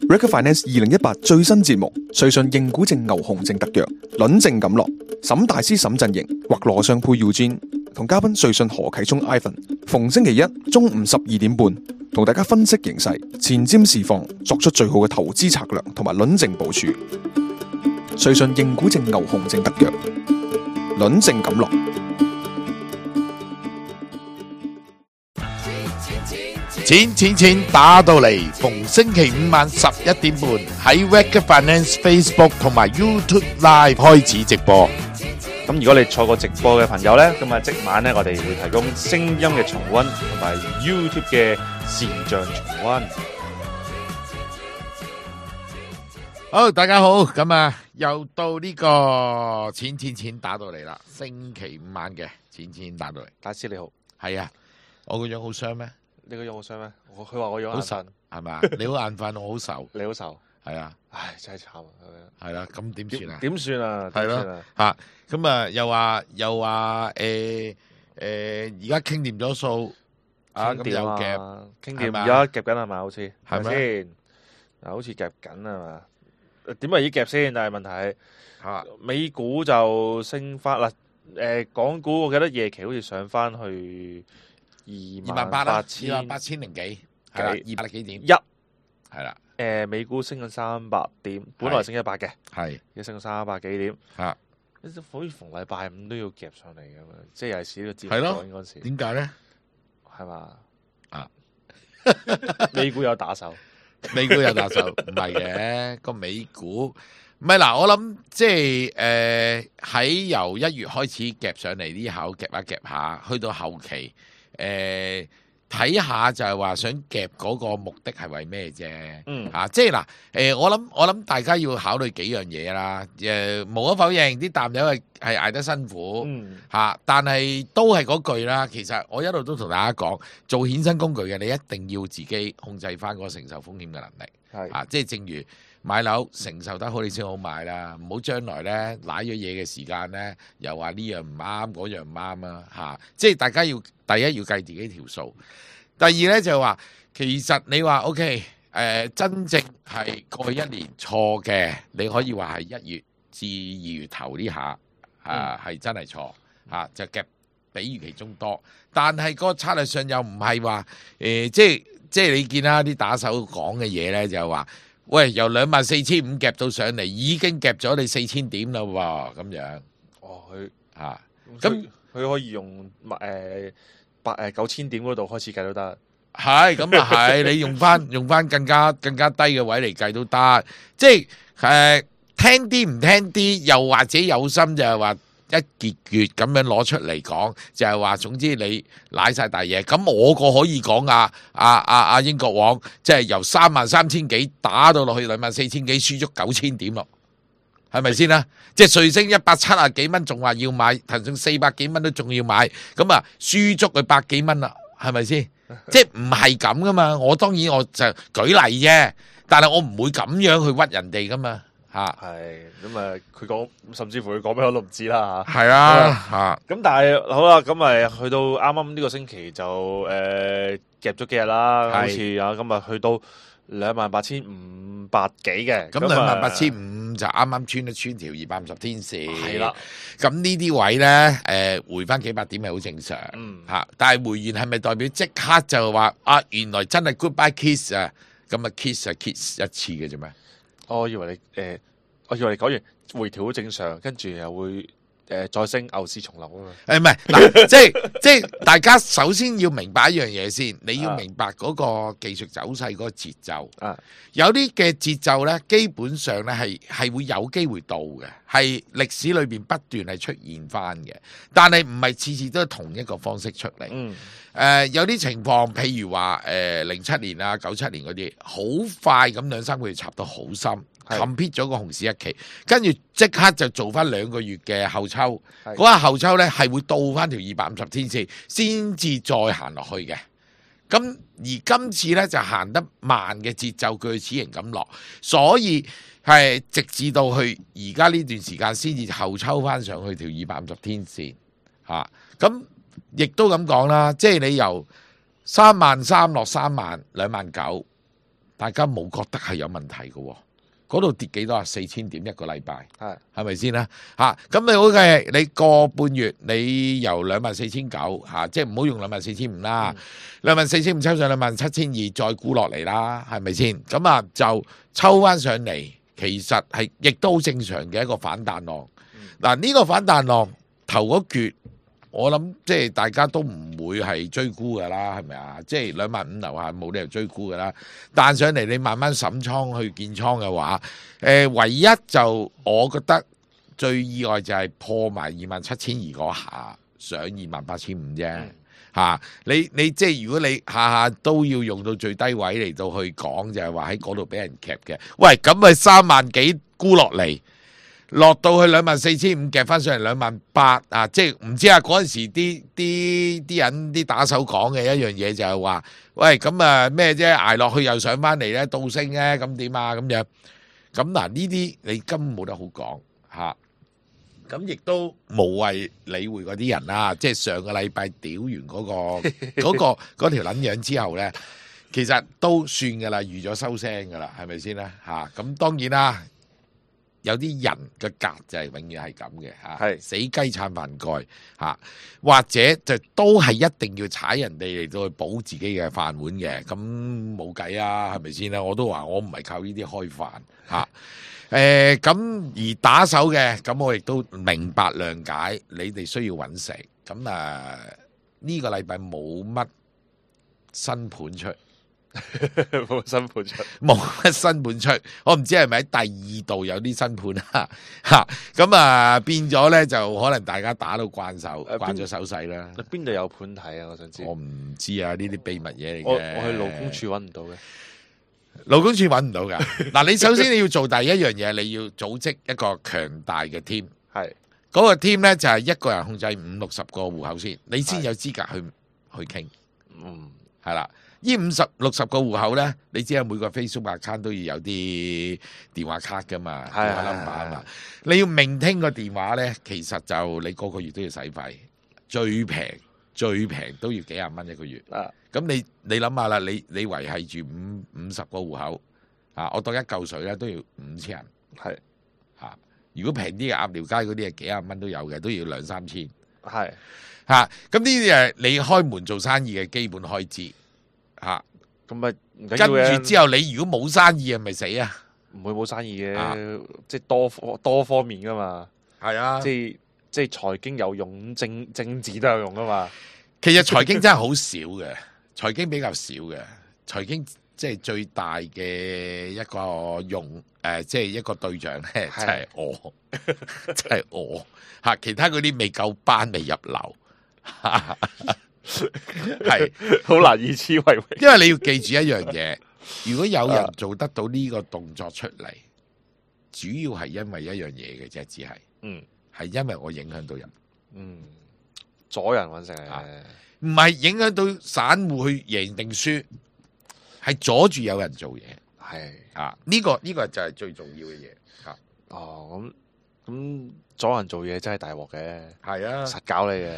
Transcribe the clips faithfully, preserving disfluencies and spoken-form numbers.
Recruit Finance 二零一八最新節目，瑞信認股證牛熊證特約，輪證錦落，沈大師沈陣營或羅尚佩 Eugene 同嘉賓瑞信何啟聰 Ivan， 逢星期一中午十二點半，同大家分析形勢、前瞻市況，作出最好嘅投資策略同埋輪證部署。瑞信認股證牛熊證特約，輪證錦落。錢錢錢打到嚟，逢星期五晚十一點半喺 Recruit Finance Facebook 同埋 YouTube Live 開始直播。咁如果你錯過直播嘅朋友呢，咁啊即晚呢，我哋會提供聲音嘅重溫同埋 YouTube 嘅視像重溫。好，大家好，咁啊又到呢個錢錢錢打到嚟啦，星期五晚嘅錢錢錢打到嚟。大師你好，係啊，我個樣好傷咩？你個樣好傷咩？我佢話我樣好神係咪？你好眼瞓，我好愁。你好愁，係啊，唉真係慘啊！係啦，咁點算啊？點算啊？係咯吓，咁啊又話又話誒誒，而家傾掂咗數啊，咁又夾傾掂，而家夾緊係咪？好似係咪先？嗱，好似夾緊啊嘛？點為依夾先？但係問題係美股就升翻啦，誒，港股我記得夜期好似上翻去。二萬八千，二萬八千零幾，係啦，二百幾點？一係啦，誒，美股升緊三百點，本來升一百嘅，係，而家升咗三百幾點，嚇，好似逢禮拜五都要夾上嚟咁樣，即係又係試呢個節目講嗰陣時，點解咧？係嘛？啊，美股有打手，美股有打手，唔係嘅，個美股唔係嗱，我諗即係誒喺由一月開始夾上嚟呢口夾一夾下，去到後期。誒睇下就係話想夾嗰個目的係為咩啫？嗯嚇，即係嗱誒，我諗我諗大家要考慮幾樣嘢啦。誒無可否認，啲淡友係係捱得辛苦嚇，但係都係嗰句啦。其實我一路都同大家講，做衍生工具嘅你一定要自己控制翻嗰個承受風險嘅能力。係啊，即係正如買樓承受得好，你先好買啦。唔好將來咧瀨咗嘢嘅時間咧，又話呢樣唔啱，嗰樣唔啱啊！嚇，即係大家要第一要計自己條數，第二咧就係話其實你話 OK 誒、呃，真正係過去一年錯嘅，你可以話係一月至二月頭呢下啊，係、嗯、真係錯嚇、啊，就夾比預期中多。但係個策略上又唔係話誒，即係即係你見啦啲打手講嘅嘢咧，就係話。喂，由兩萬四千五夾到上嚟，已經夾咗你四千點啦喎，咁樣。哦，佢嚇，咁佢可以用誒八誒九千點嗰度開始計都得。係，咁啊係，你用翻用翻更加更加低嘅位嚟計都得。即係誒聽啲唔聽啲，又或者有心就係話一結月咁樣攞出嚟講，就係話總之你瀨晒大嘢。咁我個可以講啊啊啊啊英國王，即係由三萬三千幾打到落去兩萬四千幾，輸足九千點咯，係咪先啦？即係瑞星一百七啊幾蚊，仲話要買，騰訊四百幾蚊都仲要買，咁啊輸足佢百幾蚊啦，係咪先？即係唔係咁噶嘛？我當然我就舉例啫，但係我唔會咁樣去屈人哋噶嘛。吓，係咁啊！佢講，甚至乎佢講咩我都唔知啦吓。係啊，吓咁但係好啦，咁咪去到啱啱呢個星期就誒夾咗幾日啦，好似啊，咁啊去到兩萬八千五百幾嘅。咁兩萬八千五就啱啱穿一穿條二百五十天線。係啦，咁呢啲位咧，誒回翻幾百點係好正常。嗯，吓，但係回完係咪代表即刻就話啊？原來真係 goodbye kiss 啊？咁啊 kiss 啊 kiss 一次嘅啫咩？我以為你誒、呃，我以為你講完回調好正常，跟住又會誒、呃、再升牛市重臨啊嘛。誒唔係嗱，即係即係大家首先要明白一樣嘢先，你要明白嗰個技術走勢嗰個節奏。啊，有啲嘅節奏咧，基本上咧係係會有機會到嘅，係歷史裏邊不斷係出現翻嘅，但係唔係次次都係同一個方式出嚟。嗯。誒、呃、有啲情況，譬如話誒零七年啊、九七年嗰啲，好快咁兩三個月插到好深 complete 咗個熊市一期，跟住即刻就做翻兩個月嘅後抽，嗰個後抽咧係會到翻條二百五十天線，先至再行落去嘅。咁而今次咧就行得慢嘅節奏，鋸齒形咁落，所以係直至到去而家呢段時間先至後抽翻上去條二百五十天線嚇，咁、啊。亦都咁講啦，即係你由三萬三落三萬兩萬九，大家冇覺得係有問題嘅喎。嗰度跌幾多啊？四千點一個禮拜，係係咪先啦？嚇，咁你好嘅，你個半月你由兩萬四千九嚇，即係唔好用兩萬四千五啦，兩萬四千五抽上兩萬七千二，再沽落嚟啦，係咪先？咁啊就抽翻上嚟，其實係亦都好正常嘅一個反彈浪。嗱、嗯，呢、呢個反彈浪頭嗰橛，我諗即係大家都唔會係追沽噶啦，係咪啊？即係兩萬五樓下冇理由追沽噶啦。彈上嚟你慢慢審倉去建倉嘅話，誒、呃、唯一就我覺得最意外就係破埋二萬七千二嗰下上二萬八千五啫。嚇、嗯啊！你你即係如果你下下都要用到最低位嚟到去講，就係話喺嗰度俾人夾嘅。喂，咁咪三萬幾沽落嚟？落到去兩萬四千五夾翻上嚟兩萬八啊！即係唔知啊，嗰陣時啲啲啲人啲打手講嘅一樣嘢就係話，喂，咁啊咩啫？捱落去又上翻嚟咧，倒升咧，咁點啊？咁樣咁嗱，呢啲你根本冇得好講嚇。咁亦都無謂理會嗰啲人啦。即係上個禮拜屌完嗰個嗰個嗰條撚樣之後咧，其實都算噶啦，預咗收聲噶啦，係咪先咧嚇？咁當然啦。有啲人嘅格就係永遠係咁嘅嚇，係死雞撐飯蓋嚇，或者就都係一定要踩人哋嚟到去補自己嘅飯碗嘅，咁冇計啊，係咪先啦？我都話我唔係靠呢啲開飯嚇，誒咁而打手嘅，咁我亦都明白諒解，你哋需要揾食，咁啊呢個禮拜冇乜新盤出。冇新盤出，冇乜新盤出，我唔知係咪喺第二度有啲新盤啊嚇，咁啊變咗咧就可能大家打到慣手，呃、慣咗手勢啦。邊度有盤睇啊？我想知。我唔知啊，呢啲秘密嘢嚟嘅。我我去勞工處揾唔到嘅，勞工處揾唔到㗎。嗱，你首先你要做第一樣嘢，你要組織一個強大嘅 team。係嗰個 team 咧就係一個人控制五六十個戶口先，你先有資格去去傾。嗯，係啦。呢五十六十個戶口咧，你知啊，每個 Facebook account 都要有啲電話卡噶嘛，電話 number 啊嘛。你要命聽個電話咧，其實就你個個月都要使費，最平最平都要幾廿蚊一個月。啊，咁你你諗下啦，你你維係住五五十個戶口啊，我當一嚿水咧都要五千人。係嚇，如果平啲嘅鴨寮街嗰啲係幾廿蚊都有嘅，都要兩三千。係嚇，咁呢啲係你開門做生意嘅基本開支。吓，咁咪跟住之後，你如果冇生意啊，咪死啊！唔會冇生意嘅，啊、即係多多方面噶嘛。係啊，即係即係財經有用，政政治都有用噶嘛。其實財經真係好少嘅，財經比較少嘅，財經即係最大嘅一個用誒、呃，即係一個對象咧，就係我，就係我吓，其他嗰啲未夠班，未入流。係好難以此為榮，因為你要記住一樣嘢，如果有人做得到呢個動作出嚟，主要係因為一樣嘢嘅啫，只係，嗯，係因為我影響到人，嗯，阻人搵食啊，唔係影響到散戶去贏定輸，係阻住有人做嘢，係啊，呢個呢個就係最重要嘅嘢，吓，哦，咁咁阻人做嘢真係大鑊嘅，係啊，實搞你嘅。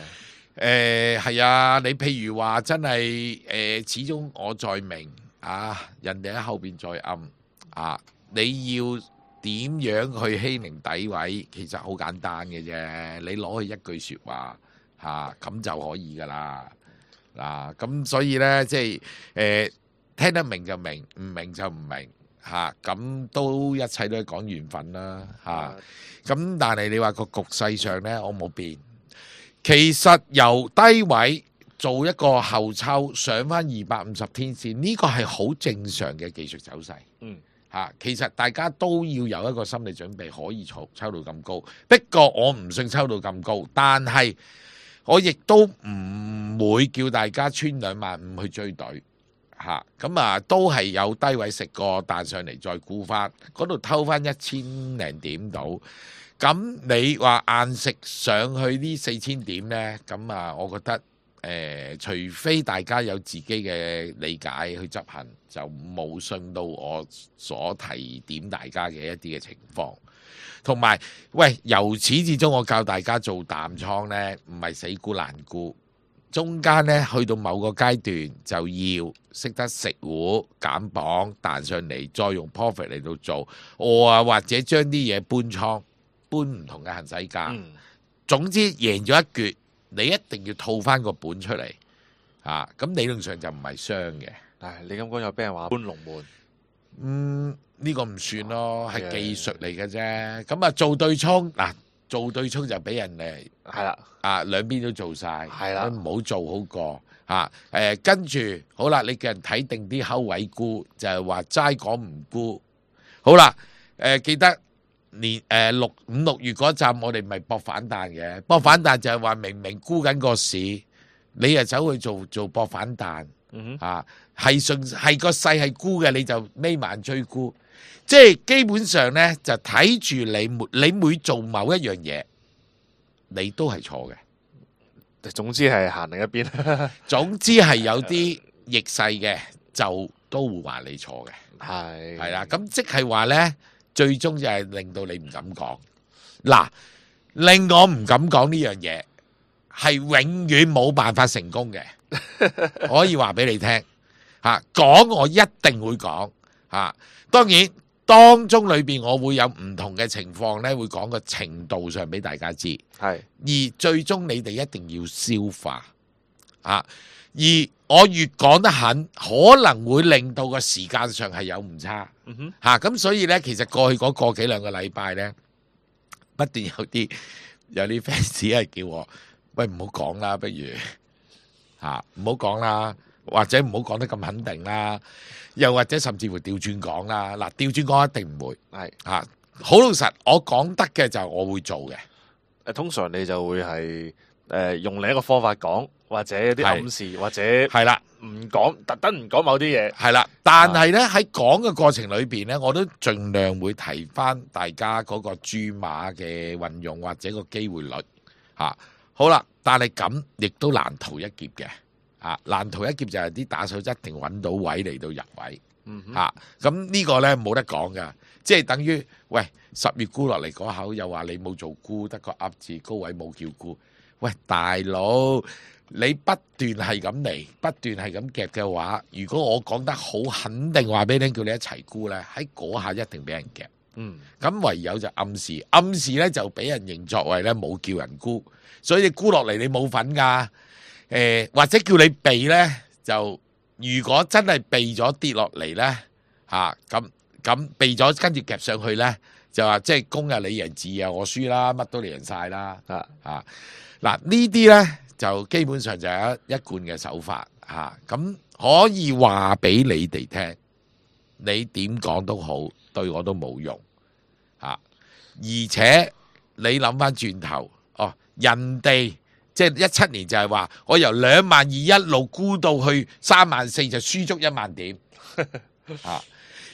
誒係、呃、啊！你譬如話真係誒、呃，始終我在明啊，人哋喺後邊在暗啊，你要點樣去欺凌詆毀？其實好簡單嘅啫，你攞去一句説話嚇咁、啊、就可以噶啦嗱。咁、啊、所以呢，即係誒、呃、聽得明就明，唔明就唔明嚇。咁、啊、都一切都係講緣分啦嚇。咁、啊、但係你話個局勢上呢，我冇變。其實由低位做一個後抽上翻二百五十天線，呢個係好正常嘅技術走勢。嗯，嚇，其實大家都要有一個心理準備，可以抽抽到咁高。不過我唔信抽到咁高，但係我亦都唔會叫大家穿兩萬五去追隊。嚇，咁啊都係有低位食過彈上嚟再沽翻，嗰度偷翻一千零點到。咁你話硬食上去呢四千點呢？咁啊，我覺得誒、呃，除非大家有自己嘅理解去執行，就冇信到我所提點大家嘅一啲嘅情況。同埋，喂，由始至終我教大家做淡倉呢，唔係死沽爛沽，中間咧去到某個階段就要識得食糊減磅彈上嚟，再用 profit 嚟到做，我啊或者將啲嘢搬倉搬唔同嘅行使價。嗯，總之贏咗一橛，你一定要套翻個本出嚟啊！咁理論上就唔係傷嘅。唉，你咁講又俾人話搬龍門，嗯，呢、個唔算咯，係、係技術嚟嘅啫。咁啊做對沖嗱，做對沖就俾人哋係啦，啊兩邊都做晒，係啦唔好做好過嚇。誒跟住好啦，你叫人睇定啲口位沽，就係話齋講唔沽。好啦，誒、記得年誒六五六月嗰陣，我哋咪搏反彈嘅，搏反彈就係話明明沽緊個市，你又走去做做搏反彈。嗯哼，啊，係順係個勢係沽嘅，你就眯晚追沽，即係基本上咧就睇住你每你每做某一樣嘢，你都係錯嘅。總之係行另一邊，總之係有啲逆勢嘅，就都會話你錯嘅，係係啦。咁即係話咧，最終就係令到你唔敢講。嗱，令我唔敢講呢樣嘢，係永遠冇辦法成功嘅。可以話俾你聽嚇，講我一定會講嚇。當然當中裏邊我會有唔同嘅情況咧，會講個程度上俾大家知。係而最終你哋一定要消化啊！而我越講得狠，可能會令到個時間上係有誤差嗯哼，嚇。咁、所以咧，其實過去嗰個幾兩個禮拜咧，不斷有啲有啲 fans 係叫我喂唔好講啦，不如。嚇，唔好講啦，或者唔好講得咁肯定啦，又或者甚至乎調轉講啦。嗱，調轉講一定唔會係嚇，好老實，我講得嘅就我會做嘅。誒，通常你就會係誒用另一個方法講，或者啲暗示，或者係啦，唔講，特登唔講某啲嘢。係啦，但係咧喺講嘅過程裏邊咧，我都盡量會提翻大家嗰個注碼嘅運用或者個機會率嚇。好啦，但係咁亦都難逃一劫嘅，啊難逃一劫就係啲打手一定揾到位嚟到入位，嗯哼，嚇咁呢個呢冇得講噶，即係等於喂十月沽落嚟嗰口又話你冇做沽，得個噏字高位冇叫沽，喂大佬你不斷係咁嚟，不斷係咁夾嘅話，如果我講得好肯定話俾你聽，叫你一齊沽呢，喺嗰下一定俾人夾，嗯，咁唯有就暗示，暗示呢就俾人認作為呢冇叫人沽。所以你沽落嚟你冇份㗎，誒、呃、或者叫你避咧，就如果真係避咗跌落嚟咧，嚇咁咁避咗跟住夾上去咧，就話即係公啊你贏字啊我輸啦，乜都贏晒啦，啊啊嗱呢啲咧就基本上就係一一貫嘅手法嚇，咁、可以話俾你哋聽，你點講都好，對我都冇用嚇、而且你諗翻轉頭。哦，人哋即係一七年就係話，我由兩萬二一路沽到去三萬四，就輸足一萬點。啊，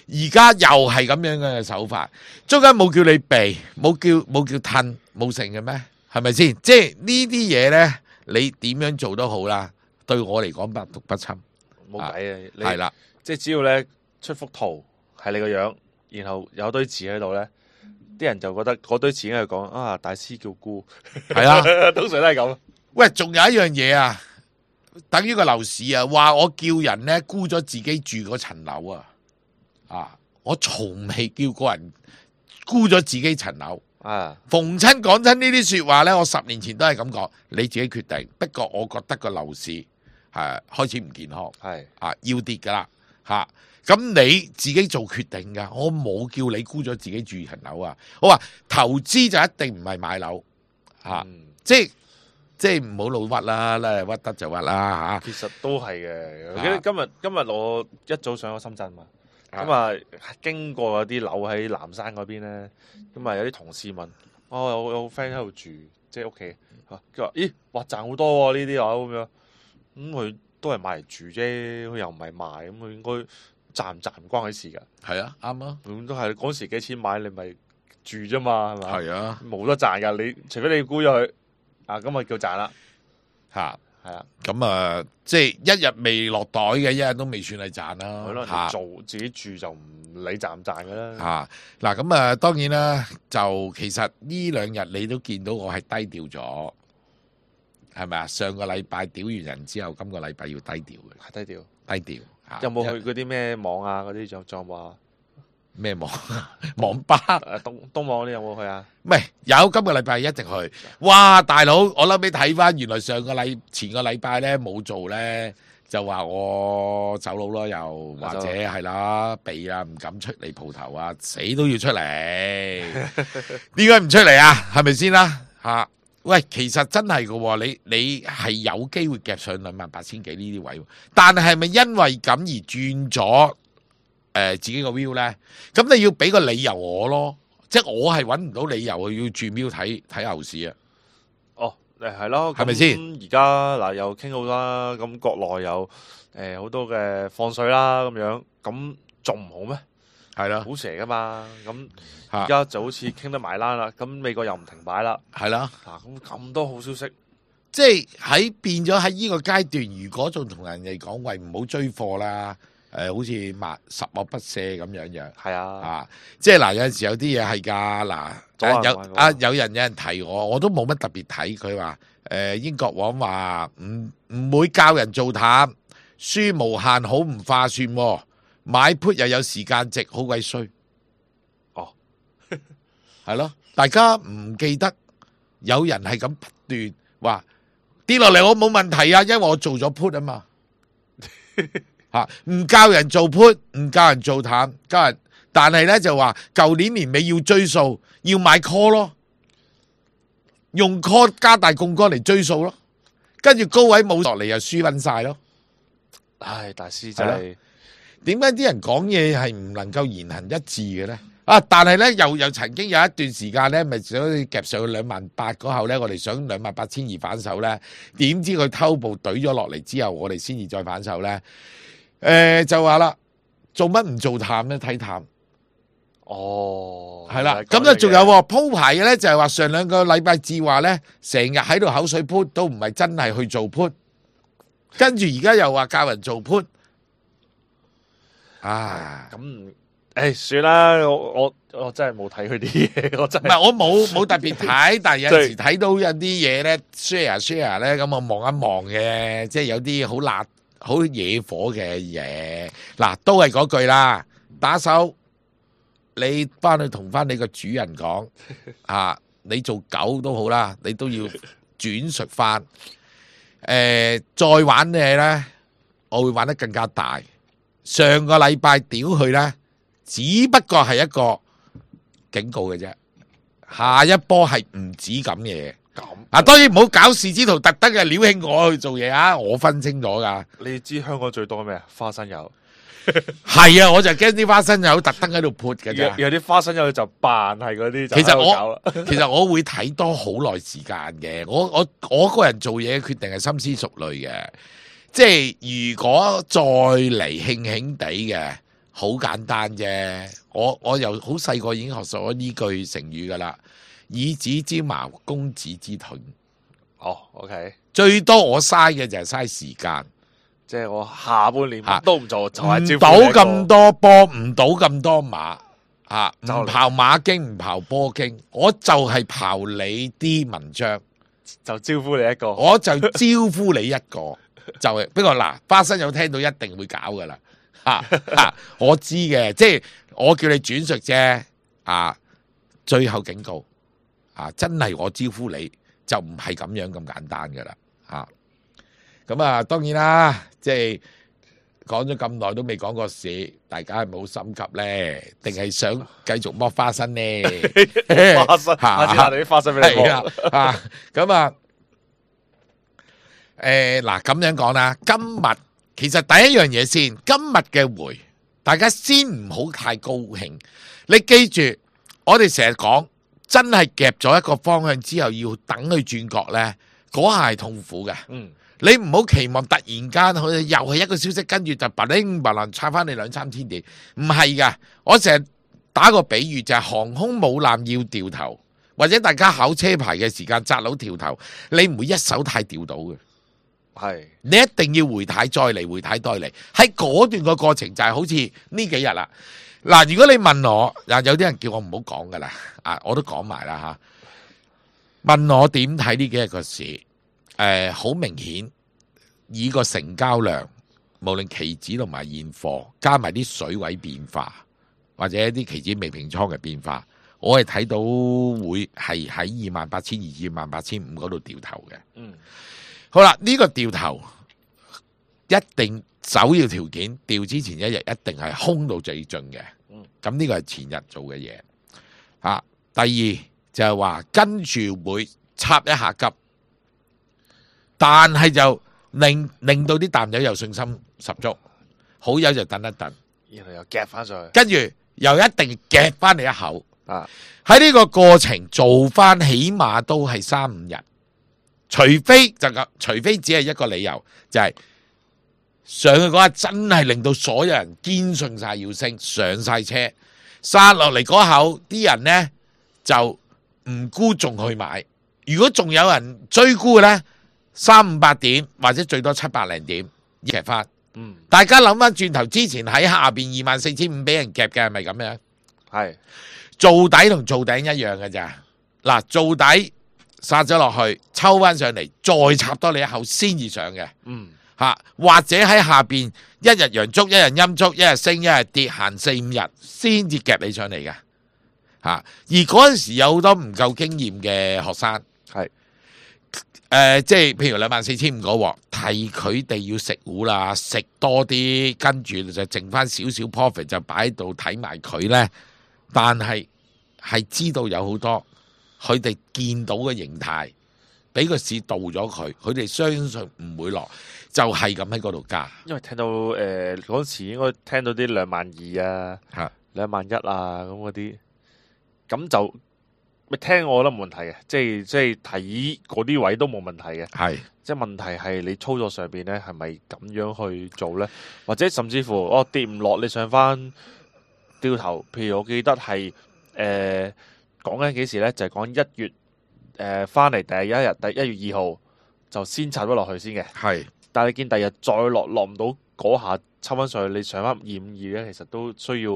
而家又係咁樣嘅手法，中間冇叫你避，冇叫冇叫褪，冇成嘅咩？係咪先？即係呢啲嘢咧，你點樣做都好啦，對我嚟講百毒不侵。冇計啊！你係啦，即係只要咧出幅圖係你個樣，然後有堆字喺度咧。啲人就覺得嗰堆錢喺度講啊，大師叫沽，係啦，通常都係咁。喂，仲有一樣嘢啊，等於個樓市啊，話我叫人咧沽咗自己住嗰層樓啊，啊，我從未叫過人沽咗自己層樓啊。逢親講真呢啲說話咧，我十年前都係咁講，你自己決定。不過我覺得個樓市係、啊、開始唔健康，係啊要跌噶啦吓。咁你自己做決定㗎，我冇叫你沽咗自己住層樓啊！我話投資就一定唔係買樓嚇、啊嗯，即係即係唔好老屈啦，咧屈得就屈啦嚇。其實都係嘅。我記啊得今日今日我一早上咗深圳嘛，啊咁啊經過嗰啲樓喺南山嗰邊咧，咁啊有啲同事問：哦，有有 friend 喺度住，即係屋企嚇。佢話：咦，哇賺好多喎呢啲樓咁樣。咁佢都係買嚟住啫，佢又唔係賣，咁佢應該賺唔賺唔關佢事㗎。係啊，啱啊，咁都係嗰時幾錢買，你咪住啫嘛，係嘛？係啊，冇得賺㗎。你除非你沽咗佢，啊咁咪叫賺啦。嚇係啊，咁啊，即係一日未落袋嘅，一日都未算係賺啦。係咯，嚇你做自己住就唔理賺唔賺㗎啦。嚇嗱，咁啊當然啦，就其實呢兩日你都見到我係低調咗係咪啊？上個禮拜屌完人之後，今個禮拜要低調嘅，低調低調。有冇去嗰啲咩網啊？嗰啲仲仲話咩網網吧？誒東東網嗰啲有冇去啊？唔係有，今個禮拜一直去。哇，大佬，我諗你睇翻，原來上個禮前個禮拜咧冇做咧，就話我走佬咯，又或者係啦，避啊，唔敢出嚟蒲頭啊，死都要出嚟。點解唔出嚟啊？係咪先啦？嚇！喂，其實真係嘅，你你係有機會夾上兩萬八千幾呢啲位，但係係咪因為咁而轉咗誒自己個 view 咧？咁你要俾個理由我咯，即係我係揾唔到理由要轉 view 睇睇牛市啊！哦，誒係咯，係咪先？而家嗱又傾好啦，咁國內有誒好多嘅放水啦，咁樣咁仲唔好咩？係啦，好蛇噶嘛，咁而家就好似傾得埋欄啦，咁美國又唔停擺啦，係啦，嗱咁咁多好消息，即係喺變咗喺呢個階段，如果仲同人哋講喂唔好追貨啦，誒、呃、好似萬十惡不赦咁樣樣，係啊，啊，即係嗱有陣時有啲嘢係㗎，嗱有啊有人有人提我，我都冇乜特別睇佢話，誒、呃、英國王話唔唔會教人做淡，輸無限好唔划算喎。買 put 又有時間值，好鬼衰。哦，係咯，大家唔記得有人係咁不斷話跌落嚟，我冇問題啊，因為我做咗 put 啊嘛。吓，唔教人做 put， 唔教人做淡，教人，但係咧就話舊年年尾要追數，要買 call 咯，用 call 加大槓桿嚟追數咯，跟住高位冇落嚟又輸翻晒咯。唉，大師真係。點解啲人講嘢係唔能夠言行一致嘅咧？啊！但係咧又又曾經有一段時間咧，咪想夾上去兩萬八嗰後咧，我哋想兩萬八千二反手咧，點知佢偷步懟咗落嚟之後，我哋先至再反手咧。誒、呃、就話啦，做乜唔做淡咧？睇淡。哦，係啦，咁就仲有鋪排嘅咧，就係話上兩個禮拜至話咧，成日喺度口水 put 都唔係真係去做 put， 跟住而家又話教人做 put。啊，咁誒算啦，我我我真係冇睇佢啲嘢，我真係唔係我冇冇特別睇，但係有時睇到有啲嘢咧 share share 咧，咁我望一望嘅，即係有啲好辣、好惹火嘅嘢。嗱，都係嗰句啦，打手你翻去同翻你個主人講啊，你做狗都好啦，你都要轉述翻。誒，再玩嘅咧，我會玩得更加大。上個禮拜屌佢咧，只不過係一個警告嘅啫。下一波係唔止咁嘢。咁啊，當然唔好搞事之徒，特登嘅撩興我去做嘢啊！我分清咗噶。你知香港最多咩啊？花生油係啊，我就驚啲花生友特登喺度潑嘅啫。有啲花生友就扮係嗰啲。其實我其實我會睇多好耐時間嘅。我我我個人做嘢決定係深思熟慮嘅。即係如果再嚟興興地嘅，好簡單啫。我我由好細個已經學咗呢句成語噶啦，以子之矛攻子之盾。哦 ，OK。最多我嘥嘅就係嘥時間，即係我下半年乜都唔做，就係唔賭咁多波，唔賭咁多馬，吓唔刨馬經，唔刨波經，我就係刨你啲文章，就招呼你一個，我就招呼你一個。就係，不過嗱，花生有聽到一定會搞噶啦，吓吓，我知嘅，即係我叫你轉述啫，啊，最後警告，啊，真係我招呼你就唔係咁樣咁簡單噶啦，吓，咁啊，當然啦，即係講咗咁耐都未講過市，大家係咪好心急咧？定係想繼續剝花生咧？花生，下次拿啲花生俾你剝啊，咁啊。誒，嗱咁樣講啦，今日其實第一樣嘢先，今日嘅回，大家先唔好太高興。你記住，我哋成日講，真係夾咗一個方向之後，要等佢轉角呢，嗰下係痛苦嘅。嗯，你唔好期望突然間好似又係一個消息，跟住就嘭零嘭零插翻你兩三千點，唔係噶。我成日打個比喻就係航空母艦要掉頭，或者大家考車牌嘅時間窄佬掉頭，你唔會一手太掉到嘅。係，你一定要回軚再嚟，回軚再嚟。喺嗰段個過程就係好似呢幾日啦。嗱，如果你問我，嗱有啲人叫我唔好講噶啦，啊，我都講埋啦吓。問我點睇呢幾日個市？誒好明顯以個成交量，無論期指同埋現貨，加埋啲水位變化，或者一啲期指未平倉嘅變化，我係睇到會係喺二萬八千二至二萬八千五嗰度掉頭嘅。嗯，好啦，呢、這個掉頭一定首要條件，掉之前一日一定係空到最盡嘅。嗯，咁呢個係前日做嘅嘢。啊，第二就係話跟住會插一下急，但係就令令到啲淡友有信心十足，好友就等一等，然後又夾翻上去，跟住又一定夾翻你一口。啊，喺呢個過程做翻起碼都係三五日，除非就咁，除非只係一個理由，就係、是、上去嗰日真係令到所有人堅信晒要升，上晒車，殺落嚟嗰口啲人呢就唔沽仲去買。如果仲有人追沽嘅呢，三五百點或者最多七百零點夾翻。嗯，大家諗翻轉頭，之前喺下邊二萬四千五俾人夾嘅係咪咁樣？係做底同做頂一樣嘅咋？嗱，做底殺咗落去，抽翻上嚟，再插多你一口先至上嘅。嗯，吓，或者喺下邊一日陽燭，一日陰燭，一日升，一日跌，行四五日先至夾你上嚟嘅。吓，而嗰陣時有好多唔夠經驗嘅學生，係誒、呃，即係譬如兩萬四千五嗰鑊，提佢哋要食糊啦，食多啲，跟住就剩翻少少 profit 就擺喺度睇埋佢咧。但係係知道有好多佢哋見到嘅形態，俾個市導咗佢，佢哋相信唔會落，就係咁喺嗰度加。因為聽到誒嗰陣時應該聽到啲兩萬二啊，嚇兩萬一啊咁嗰啲，咁就咪聽我覺得冇問題嘅，即係即係睇嗰啲位都冇問題嘅。係即係問題係你操作上邊咧係咪咁樣去做咧？或者甚至乎哦跌唔落，你上翻掉頭，譬如我記得係誒講緊幾時咧，就係講一月誒翻嚟第一日，第一月二號就先插咗落去先嘅。係，但係你見第日再落落唔到嗰下抽翻上去，你上翻二五二咧，其實都需要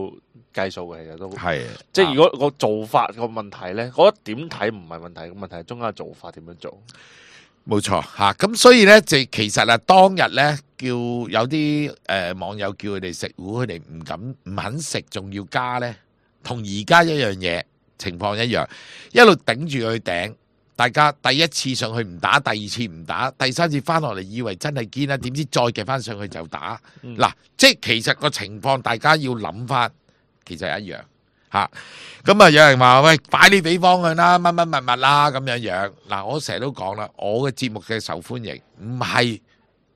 計數嘅，其實都係。即係如果個做法個問題咧，我覺得點睇唔係問題，個問題係中間嘅做法點樣做。冇錯嚇，咁所以咧就其實啊，當日咧叫有啲誒、呃、網友叫佢哋食糊，佢哋唔敢唔肯食，仲要加咧，同而家一樣嘢情況一樣，一路頂住佢頂。大家第一次上去唔打，第二次唔打，第三次翻落嚟以為真係堅啦，點知再夾翻上去就打。嗱、嗯，即係其實個情況，大家要諗翻，其實一樣嚇。咁啊，有人話喂，擺啲比方向啦，乜乜物物啦咁樣樣。嗱，我成日都講啦，我嘅節目嘅受歡迎唔係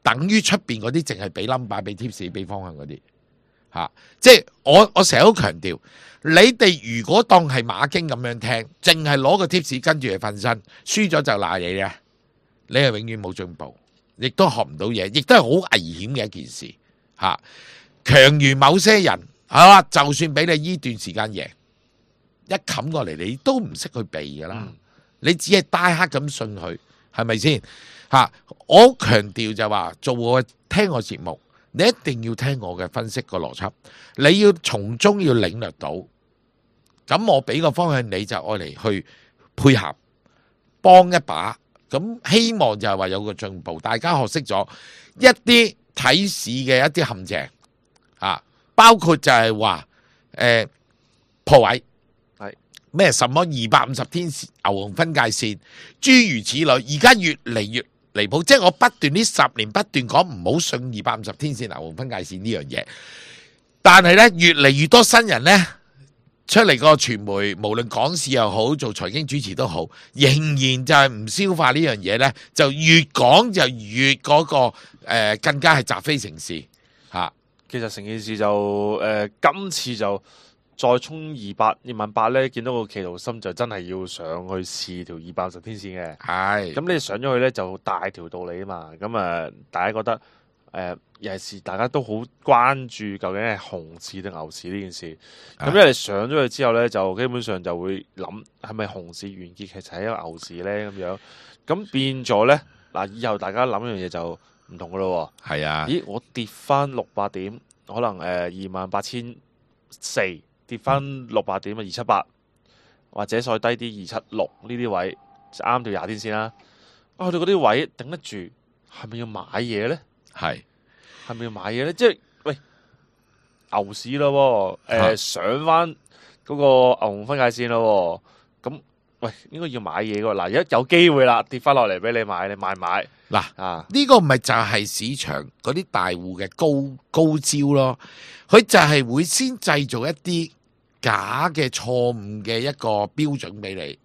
等於出邊嗰啲淨係俾 number、俾 tips、俾方向嗰啲嚇。即係我我成日都強調，你哋如果當係馬經咁樣聽，淨係攞個 tips 跟住去瞓身，輸咗就賴你嘅，你係永遠冇進步，亦都學唔到嘢，亦都係好危險嘅一件事嚇。強如某些人係嘛，就算俾你依段時間贏。一冚過嚟，你都唔識去避噶啦，嗯、你只係大黑咁信佢，係咪先？吓，我強調就話做我聽我節目，你一定要聽我嘅分析個邏輯，你要從中要領略到，咁我俾個方向你就愛嚟去配合，幫一把，咁希望就係話有個進步，大家學識咗一啲睇市嘅一啲陷阱，啊，包括就係話誒破位。咩？什麼二百五十天牛熊分界線，諸如此類，而家越嚟越離譜。即係我不斷呢十年不斷講唔好信二百五十天線牛熊分界線呢樣嘢，但係咧越嚟越多新人咧出嚟個傳媒，無論講市又好，做財經主持都好，仍然就係唔消化呢樣嘢咧，就越講就越嗰、那個誒、呃、更加係習非成是嚇、啊。其實成件事就誒、呃、今次就。再衝二百二萬八咧，見到個企圖心就真係要上去試條二百五十天線嘅。係，咁你上咗去咧就大條道理啊嘛。咁啊，大家覺得誒，尤其是大家都好關注究竟係熊市定牛市呢件事。咁因為上咗去之後咧，就基本上就會諗係咪熊市完結，其實係一個牛市咧咁樣。咁變咗咧嗱，以後大家諗一樣嘢就唔同噶咯。係啊，咦，我跌翻六百點，可能誒二萬八千四。跌翻六百點啊，二七八或者再低啲二七六呢啲位，啱條廿天線啦。啊，去到嗰啲位頂得住，係咪要買嘢咧？係係咪要買嘢咧？即係喂牛市咯，誒、呃、上翻嗰個牛熊分界線咯，咁喂應該要買嘢噶。嗱，而家有機會啦，跌翻落嚟俾你買，你買唔買？嗱啊，呢個咪就係市場嗰啲大戶嘅高高招咯。佢就係會先製造一啲假嘅錯誤嘅一個標準俾你，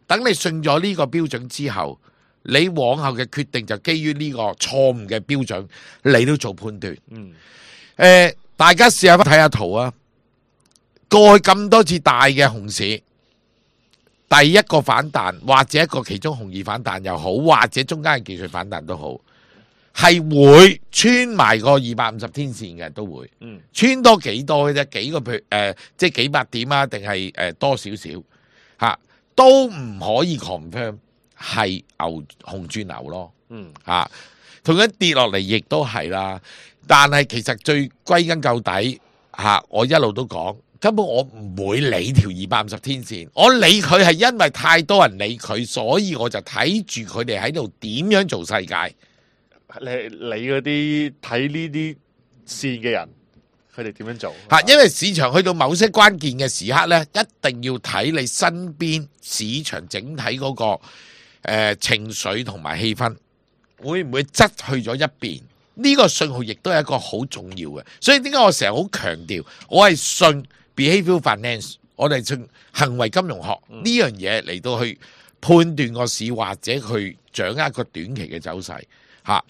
等你信咗呢個標準之後，你往後嘅決定就基於呢個錯誤嘅標準嚟到做判斷。嗯，誒、呃，大家試下睇下圖啊！過去咁多次大嘅熊市，第一個反彈或者一個其中紅二反彈又好，或者中間嘅技術反彈都好，係會穿埋個二百五十天線嘅，都會。嗯，穿多幾多嘅啫？幾個誒、呃，即係幾百點啊？定係誒多少少嚇？都唔可以 confirm 係牛熊轉牛咯。嗯，嚇，同樣跌落嚟亦都係啦。但係其實最歸根究底嚇，我一路都講。根本我唔會理條二百五十天線，我理佢係因為太多人理佢，所以我就睇住佢哋喺度點樣做世界。你你嗰啲睇呢啲線嘅人，佢哋點樣做？吓，因為市場去到某些關鍵嘅時刻呢，一定要睇你身邊市場整體嗰、個誒、呃、情緒同埋氣氛，會唔會側去咗一邊？呢、個信號亦都係一個好重要嘅。所以點解我成日好強調，我係信 behavioral finance， 我哋信行為金融學呢樣嘢嚟到去判斷個市或者去掌握一個短期嘅走勢吓。誒、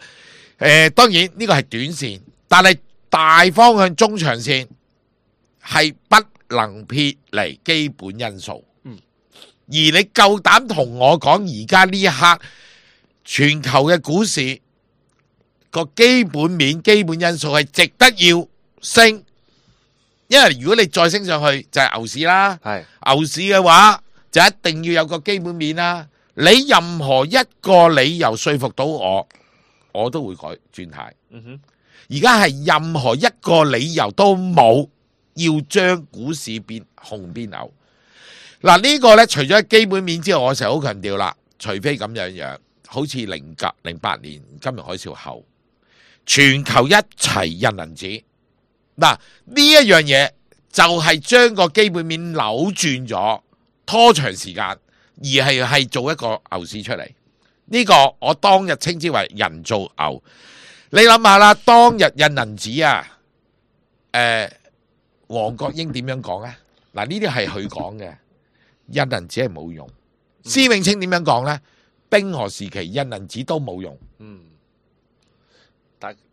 呃，當然呢個係短線，但係大方向中長線係不能撇離基本因素。嗯，而你夠膽同我講而家呢一刻全球嘅股市個基本面、基本因素係值得要升？因為如果你再升上去就係牛市啦，係牛市嘅話就一定要有個基本面啦。你任何一個理由說服到我，我都會改轉態。嗯哼，而家係任何一個理由都冇要將股市變紅變牛。嗱，呢個呢，除咗基本面之外，我成日好強調啦，除非咁樣樣，好似零九零八年金融海嘯後，全球一齊印銀紙。嗱，呢一樣嘢就係將個基本面扭轉咗，拖長時間，而係係做一個牛市出嚟。呢、這個我當日稱之為人造牛。你諗下啦，當日印銀紙啊，誒、呃，黃國英點樣講啊？嗱，呢啲係佢講嘅，印銀紙係冇用。施永青點樣講咧？冰河時期印銀紙都冇用。嗯。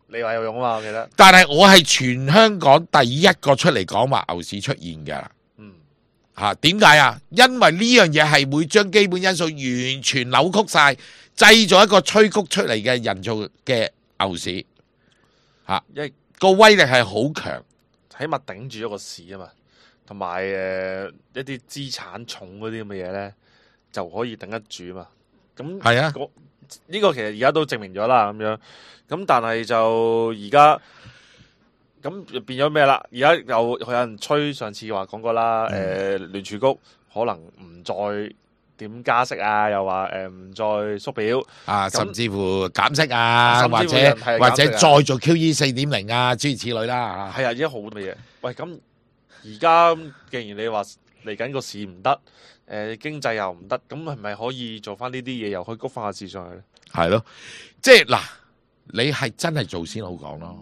你話有用啊嘛？我記得，但係我係全香港第一個出嚟講話牛市出現嘅。嗯，吓，點解啊？因為呢樣嘢係會將基本因素完全扭曲晒，製造一個催谷出嚟嘅人造嘅牛市。吓，因為個威力係好強，起碼頂住一個市啊嘛。同埋誒一啲資產重嗰啲咁嘅嘢咧，就可以頂得住啊嘛。咁係啊，呢個其實而家都證明咗啦，咁樣。咁但係就而家咁變咗咩啦？而家又有人吹，上次話講過啦，誒、嗯，聯儲局可能唔再點加息啊，又話誒唔再縮表啊，甚至乎減息啊，或者、啊、或者再做 Q E 四點零啊，諸如此類啦。係啊，而家好多嘢。喂，咁而家既然你話嚟緊個市唔得，誒、呃、經濟又唔得，咁係咪可以做翻呢啲嘢，又可以谷翻個市上去咧？係咯，即係嗱。你係真係做先好講咯，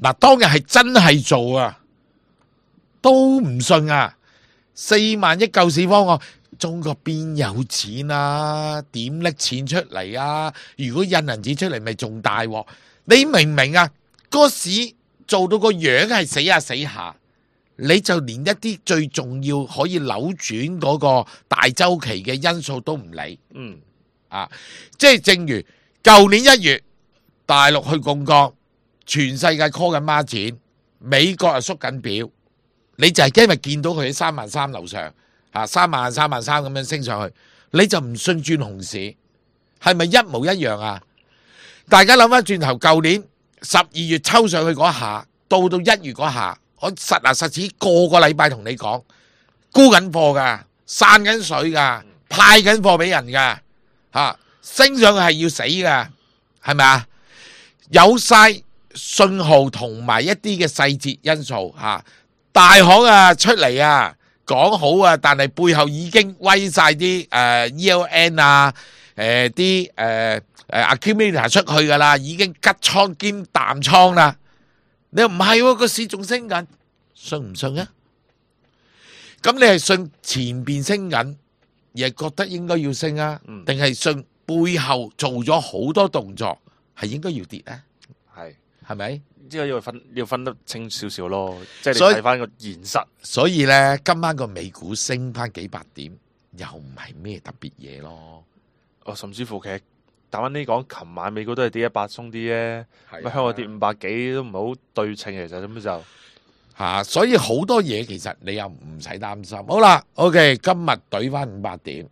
嗱，當日係真係做啊，都唔信啊，四萬億救市方案，中國邊有錢啊？點拎錢出嚟啊？如果印銀紙出嚟，咪仲大鑊？你明唔明啊？個市做到個樣係死下死下，你就連一啲最重要可以扭轉嗰個大周期嘅因素都唔理，嗯，啊，即係正如舊年一月。大陸去槓桿，全世界 call 緊孖展，美國又縮緊表，你就係因為見到佢喺三萬三樓上，吓三萬三萬三咁樣升上去，你就唔信轉熊市，係咪一模一樣啊？大家諗翻轉頭，舊年十二月抽上去嗰下，到到一月嗰下，我實牙實齒個個禮拜同你講，沽緊貨噶，散緊水噶，派緊貨俾人噶，吓。升上去係要死噶，係咪啊？有晒信號同埋一啲嘅細節因素吓、啊，大行啊出嚟啊講好啊，但係背後已經威晒啲誒 E L N 啊，誒啲誒誒 accumulator 出去噶啦，已經吉倉兼淡倉啦。你又唔係個市仲升緊，信唔信啊？咁你係信前邊升緊，而係覺得應該要升啊？定係信背後做咗好多動作，係應該要跌咧？係係咪？呢個要分要分得清少少咯，即係你睇翻個現實。所以咧，今晚個美股升翻幾百點，又唔係咩特別嘢咯。哦，甚至乎其實打翻呢講，琴晚美股都係跌一百鬆啲啫，乜香港跌五百幾都唔係好對稱，其實咁就嚇、啊。所以好多嘢其實你又唔使擔心。好啦 ，OK， 今日懟翻五百點，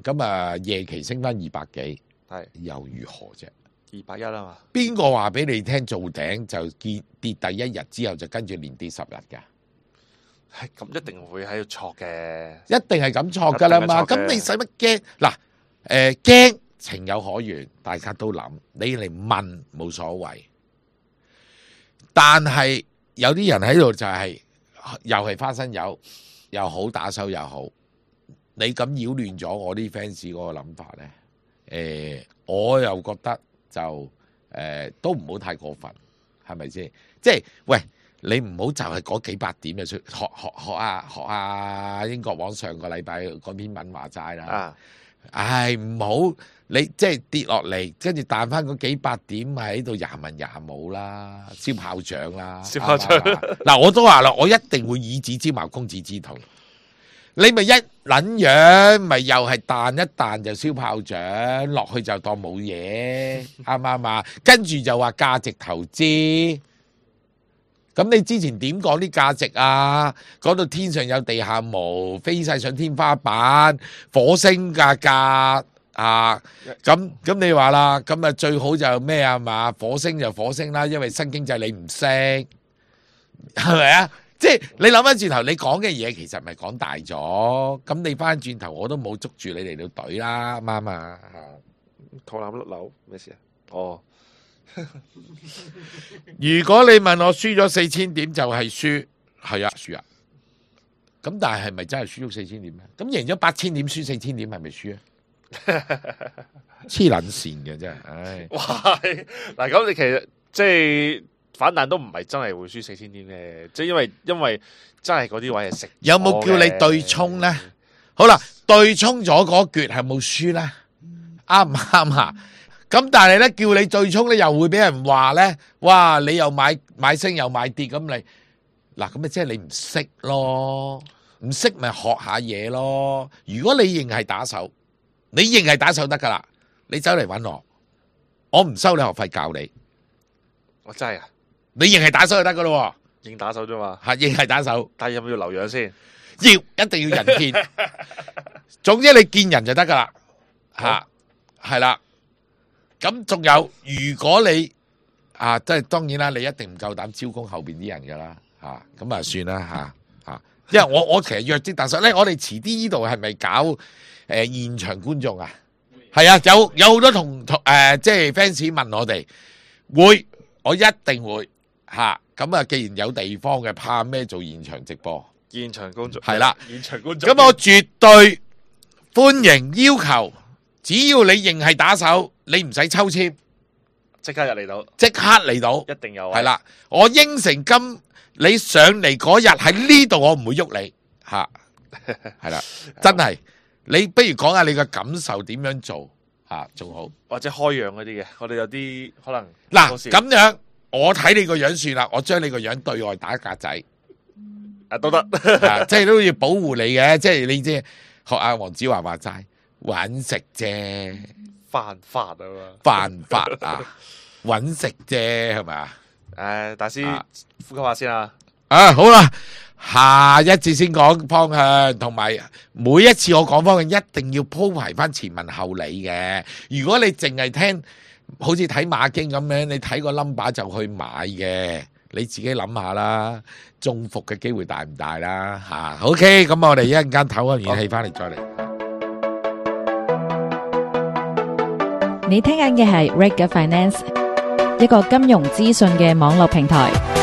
咁啊夜期升翻二百幾，係又如何啫？二百一啊嘛，邊個話俾你聽做頂就見跌第一日之後就跟住連跌十日㗎？係咁一定會喺度錯嘅，一定係咁錯㗎啦嘛。咁你使乜驚？嗱，誒驚情有可原，大家都諗，你嚟問冇所謂。但係有啲人喺度就係、是、又係花生油，又好打手又好，你咁擾亂咗我啲 fans 嗰個諗法咧。誒、呃，我又覺得。就誒、呃、都唔好太過分，係咪先？即係喂，你唔好就係嗰幾百點就出學學學啊學啊英國網上個禮拜嗰篇文話齋啦。啊，唉唔好你即係跌落嚟，跟住彈翻嗰幾百點喺度廿文廿武啦，燒炮仗啦，燒炮仗。嗱我都話啦，我一定會以子之矛攻子之盾。你咪一撚樣，咪又係彈一彈就燒炮仗，落去就當冇嘢，啱唔啱啊？跟住就話價值投資，咁你之前點講啲價值啊？講到天上有地下無，飛晒上天花板，火星價格啊！咁咁你話啦，咁啊最好就咩啊嘛？火星就火星啦，因為新經濟你唔識，係咪啊？即係你諗翻轉頭，你講嘅嘢其實咪講大咗，咁你翻轉頭我都冇捉住你嚟到隊啦，啱啊！肚腩甩樓咩事啊？哦，如果你問我輸咗四千點就係輸，係啊輸啊，咁但係係咪真係輸咗四千點咧？咁贏咗八千點輸四千點係咪輸啊？黐撚線嘅真係，唉！哇！嗱咁你其實即係。反彈都唔係真係會輸四千點嘅，即係因為因為真係嗰啲位係食。有冇叫你對沖咧？好啦，對沖咗嗰橛係冇輸咧，啱唔啱啊？咁但係咧叫你對沖咧，又會俾人話咧，哇！你又買買升又買跌咁你嗱咁咪即係你唔識咯，唔識咪學下嘢咯。如果你認係打手，你認係打手得噶啦，你走嚟揾我，我唔收你學費教你。我真係啊！你認係打手就得噶咯，認打手啫嘛，係認係打手，但係有冇要留樣先？要，一定要人見。總之你見人就得噶啦，吓係啦。咁仲有，如果你啊，即係當然啦，你一定唔夠膽招供後邊啲人噶啦，吓咁啊算啦吓吓。因為我我其實約啲打手咧，我哋遲啲呢度係咪搞誒、呃、現場觀眾啊？係啊，有有好多同同誒，即係 fans 問我哋會。我一定會吓，咁啊！既然有地方嘅，怕咩做現場直播？現場觀眾係啦，現場觀眾。咁我絕對歡迎要求，只要你認係打手，你唔使抽籤，即刻入嚟到，即刻嚟到，一定有。係啦，我應承今你上嚟嗰日喺呢度，我唔會喐你吓，係啦，真係。你不如講下你嘅感受點樣做？啊，仲好，或者開樣嗰啲嘅，我哋有啲可能嗱咁樣，我睇你個樣算啦，我將你個樣對外打格仔，啊都得，啊即係都要保護你嘅，即係你即係學阿黃子華話齋，搵食啫，犯法啊嘛，犯法啊，搵食啫係咪啊？誒，大師、啊、呼吸下先啊，啊好啦。下一節先講方向，同埋每一次我講方向一定要鋪排翻前文後理嘅。如果你淨係聽，好似睇馬經咁樣，你睇個 number 就去買嘅，你自己諗下啦，中伏嘅機會大唔大啦？吓 ，OK，咁我哋一陣間唞個元氣翻嚟再嚟。你聽緊嘅係 Reg Finance，一個金融資訊嘅網絡平台。